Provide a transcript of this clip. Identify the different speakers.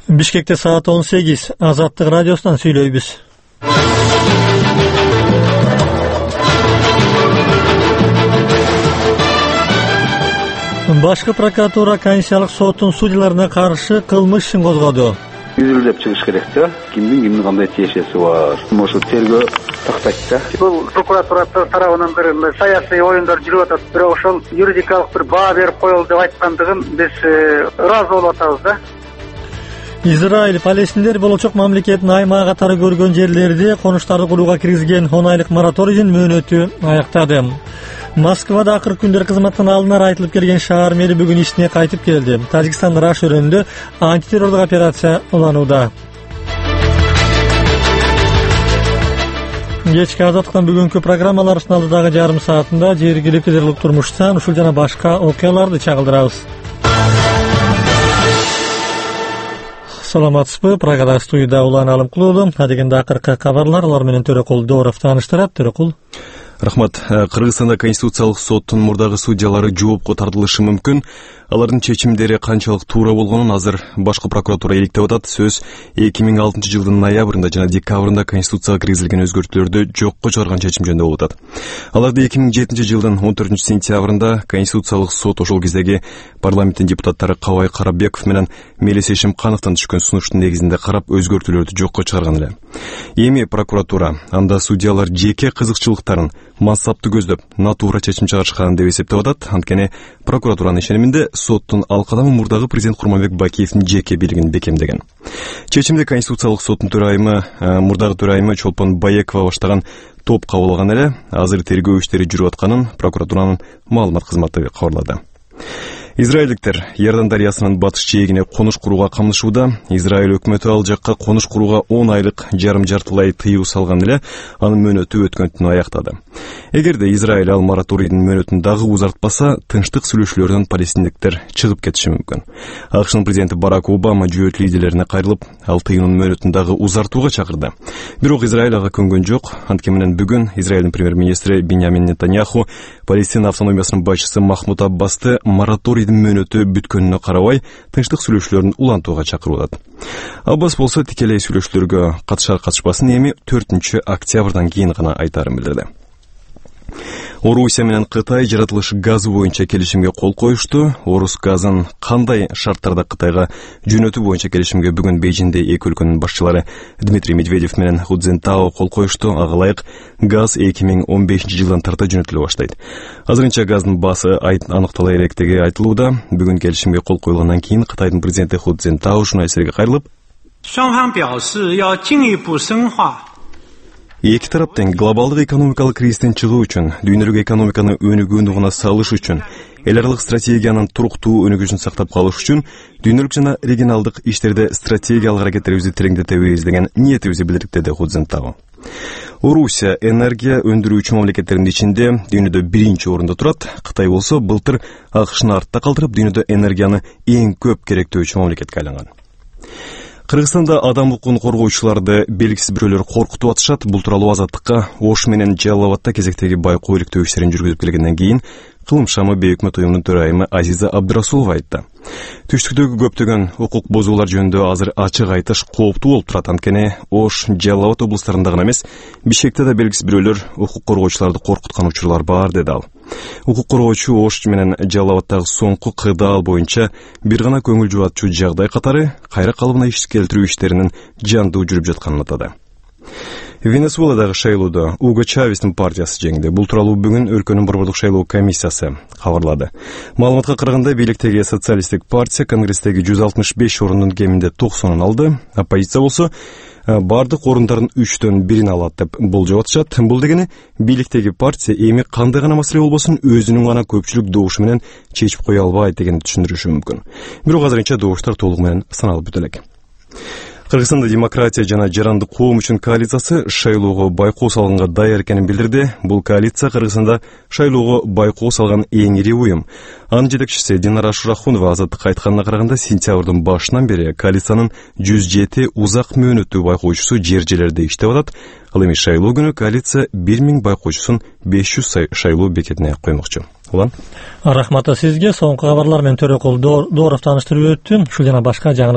Speaker 1: Бишкекте саат 18. Азаттык радиосунан сүйлөйбүз. Башкы прокуратура Конституциялык соттун судьяларына каршы кылмыш ишин козгоду.
Speaker 2: Үзүлүп чыгыш керек да. Кимдин кандай тиешеси бар. Ошо тергөө тактайт да. Бул прокуратура тарабынан бир саясий оюндар жүрүп атат. Бирок ошол юридикалык бир баа берип коелу деп айткандыгын биз ыраазы болуп атабыз да.
Speaker 1: Израиль палестиндер болочок мамлекеттин аймак катары көргөн жерлерди конуштарды курууга киргизген 10 айлык мораторийдин мөөнөтү аяктады. Москвада акыркы күндөр кызматтан алынар айтылып келген шаар мэри бүгүн ишине кайтып келди. Тажикстандын Раш өрөөнүндө антитеррорлук операция уланууда. Кечки Азаттыктан бүгүнкү программаларыбыздын алдыдагы жарым саатында жергиликтүү террорлук турмуштан ушул жана башка окуяларды чагылдырабыз. Саламатсызбы? Прагада студияда Улан Алымкулуу. Адегенде акыркы кабарлар, алар менен Төрөкул Дооров тааныштырат. Төрөкул.
Speaker 3: Рахмат. Кыргызстанда Конституциялык соттун мурдагы судьялары жоопко тартылышы мүмкүн. Алардын чечимдери канчалык туура болгонун азыр башкы прокуратура иликтеп атат. Сөз 2006-жылдын ноябрында жана декабрында Конституцияга киргизилген өзгөртүүлөрдү жокко чыгарган чечим жөнүндө болуп атат. Аларды 2007-жылдын 14-сентябрында Конституциялык сот ошол кездеги парламенттин депутаттары Кабай Карабеков менен Мелис Эшимкановдон түшкөн сунуштун негизинде карап өзгөртүүлөрдү жокко чыгарган эле. Эми прокуратура анда судьялар жеке кызыкчылыктарын мансапты көздөп натуура чечим чыгарышкан деп эсептеп атат. Анткени прокуратуранын ишениминде соттун ал кадамы мурдагы президент Курманбек Бакиевдин жеке бийлигин бекемдеген. Чечимди Конституциялык соттун төрайымы, мурдагы төрайымы Чолпон Баекова баштаган топ кабыл алган эле. Азыр тергөө иштери жүрүп атканын прокуратуранын маалымат кызматы кабарлады. Израилдиктер Иордан дарыясынын батыш жээгине конуш курууга камдышууда. Израиль өкмөтү ал жакка конуш курууга 10 айлык жарым-жартылай тыюу салган эле, анын мөөнөтү өткөн түнү аяктады. Эгерде Израиль ал мораторийдин мөөнөтүн дагы узартпаса, тынчтык сүйлөшүүлөрдөн палестиндиктер чыгып кетиши мүмкүн. АКШнын президенти Барак Обама жүйөт лидерлерине кайрылып, ал тыюунун мөөнөтүн дагы узартууга чакырды. Бирок Израиль ага көнгөн жок. Анткени менен бүгүн Израилдин премьер-министри Биньямин Нетаньяху Палестина автономиясынын башчысы Махмуд Аббасты мораторийдин мөөнөтү бүткөнүнө карабай тынчтык сүйлөшүүлөрүн улантууга чакырып атат. Аббас болсо тикелей сүйлөшүүлөргө катышпасын, эми 4-октябрдан кийин гана айтарын билдирди. Орусия менен Кытай жаратылыш газы боюнча келишимге кол коюшту. Орус газын кандай шарттарда Кытайга жөнөтүү боюнча келишимге бүгүн Бейжиңде эки өлкөнүн башчылары Дмитрий Медведев менен Ху Цзиньтао кол коюшту. Ага ылайык газ 2015-жылдан тарта жөнөтүлө баштайт. Азырынча газдын баасы аныктала электиги айтылууда. Бүгүн келишимге кол коюлгандан кийин Кытайдын президенти Ху Цзиньтао журналисттерге кайрылып, эки тарап тең глобалдык экономикалык кризистен чыгуу үчүн, дүйнөлүк экономиканы өнүгүүнү салыш үчүн, эл аралык стратегиянын туруктуу өнүгүшүн сактап калыш үчүн дүйнөлүк жана регионалдык иштерде стратегиялык аракеттерибизди тереңдетебиз деген ниетибизди билдирдик, деди Ху Цзиньтао. Орусия энергия өндүрүүчү мамлекеттердин ичинде дүйнөдө биринчи орунда турат. Кытай болсо былтыр АКШны артта калтырып, дүйнөдө энергияны эң көп керектөөчү мамлекетке айланган. Кыргызстанда адам укугун коргоочуларды белгисиз бирөөлөр коркутуп атышат. Бул тууралуу Азаттыкка Ош менен Жалал Абадта кезектеги байкоо иликтөө иштерин жүргүзүп келгенден кийин Кылым шамы бейөкмөт уюмунун төрайымы Азиза Абдырасулова айтты. Түштүктөгү көптөгөн укук бузуулар жөнүндө азыр ачык айтыш кооптуу болуп турат. Анткени Ош, Жалал Абад облустарында гана эмес, Бишкекте да белгисиз бирөөлөр укук коргоочуларды коркуткан учурлар бар, деди ал. Укук коргоочу Ош менен Жалал Абадтагы соңку кыдаал боюнча бир гана көңүл жубатчу жагдай катары кайра калыбына иш келтирүү иштеринин жандуу жүрүп жатканын атады. Венесуэладагы шайлоодо Уго Чавестин партиясы жеңди. Бул тууралуу бүгүн өлкөнүн борбордук шайлоо комиссиясы кабарлады. Маалыматка караганда бийликтеги социалисттик партия Конгресстеги 165 орундун кеминде 90-ын алды. Оппозиция болсо бардык орундардын 3/1 алат деп болжоп атышат. Бул дегени бийликтеги партия эми кандай гана маселе болбосун өзүнүн гана көпчүлүк добушу менен чечип кое албайт дегенди түшүндүрүшү мүмкүн. Бирок азырынча добуштар толугу менен саналып бүт элек. Кыргызстанда демократия жана жарандык коом үчүн коалициясы шайлоого байкоо салганга даяр экенин билдирди. Бул коалиция Кыргызстанда шайлоого байкоо салган эң ири уюм. Анын жетекчиси Динара Шурахунова Азаттыкка айтканына караганда, сентябрдын башынан бери коалициянын 107 узак мөөнөттүү байкоочусу жер-жерлерде иштеп атат. Ал эми шайлоо күнү коалиция 1000 байкоочусун 500 шайлоо бекетине коймокчу. Улан.
Speaker 1: Рахмат сизге. Соңку кабарлар менен Төрөкул Дооров тааныштырып өттү. Ушул жана башка жаңы